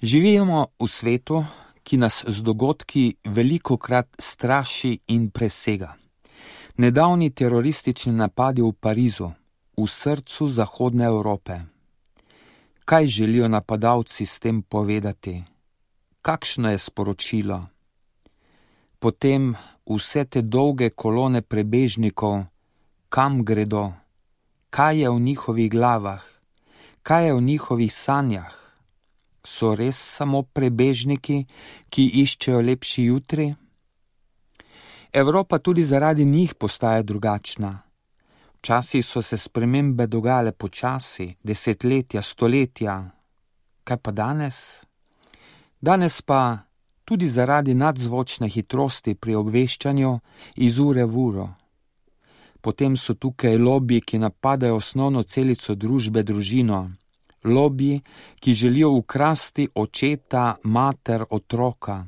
Živimo v svetu, ki nas z dogodki velikokrat straši in presega. Nedavni teroristični napadi v Parizu, v srcu Zahodne Evrope. Kaj želijo napadalci s tem povedati? Kakšno je sporočilo? Potem vse te dolge kolone prebežnikov, kam gredo? Kaj je v njihovih glavah? Kaj je v njihovih sanjah? So res samo prebežniki, ki iščejo lepši jutri? Evropa tudi zaradi njih postaja drugačna. Včasih so se spremembe dogajale počasi, desetletja, stoletja. Kaj pa danes? Danes pa tudi zaradi nadzvočne hitrosti pri obveščanju iz ure v uro. Potem so tukaj lobiji, ki napadajo osnovno celico družbe, družino. Lobiji, ki želijo ukrasti očeta, mater, otroka.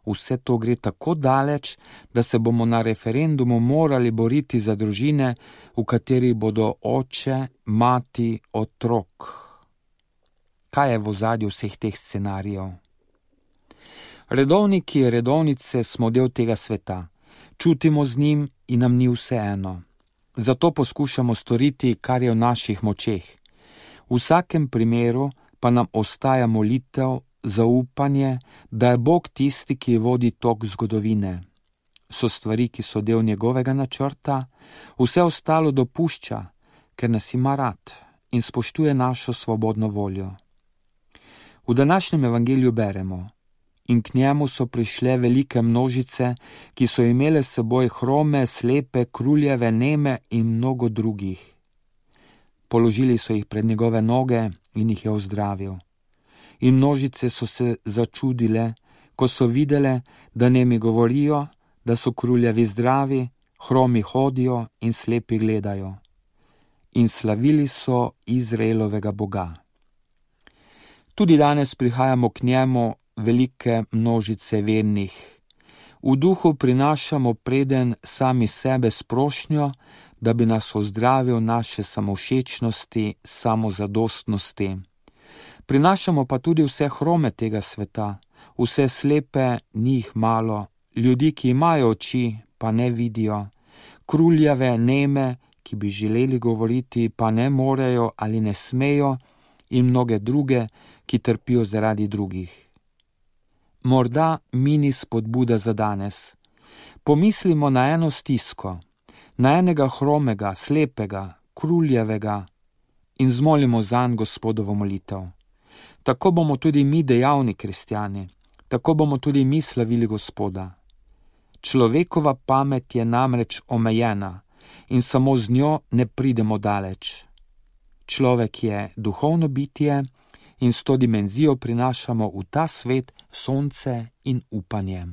Vse to gre tako daleč, da se bomo na referendumu morali boriti za družine, v katerih bodo oče, mati, otrok. Kaj je v ozadju vseh teh scenarijev? Redovniki, redovnice smo del tega sveta. Čutimo z njim in nam ni vseeno. Zato poskušamo storiti, kar je v naših močeh. V vsakem primeru pa nam ostaja molitev, zaupanje, da je Bog tisti, ki vodi tok zgodovine. So stvari, ki so del njegovega načrta, vse ostalo dopušča, ker nas ima rad in spoštuje našo svobodno voljo. V današnjem evangeliju beremo: in k njemu so prišle velike množice, ki so imele s seboj hrome, slepe, kruljeve, neme in mnogo drugih. Položili so jih pred njegove noge in jih je ozdravil. In množice so se začudile, ko so videle, da nemi govorijo, da so kruljevi zdravi, hromi hodijo in slepi gledajo. In slavili so Izraelovega Boga. Tudi danes prihajamo k njemu velike množice vernih. V duhu prinašamo preden sami sebe s prošnjo, da bi nas ozdravil naše samovšečnosti, samozadostnosti. Prinašamo pa tudi vse hrome tega sveta, vse slepe, njih malo, ljudi, ki imajo oči, pa ne vidijo, kruljave, neme, ki bi želeli govoriti, pa ne morejo ali ne smejo, in mnoge druge, ki trpijo zaradi drugih. Morda mini spodbuda za danes. Pomislimo na eno stisko, na enega hromega, slepega, kruljevega in zmolimo zanj Gospodovo molitev. Tako bomo tudi mi dejavni kristjani, tako bomo tudi mi slavili Gospoda. Človekova pamet je namreč omejena in samo z njo ne pridemo daleč. Človek je duhovno bitje in s to dimenzijo prinašamo v ta svet sonce in upanje.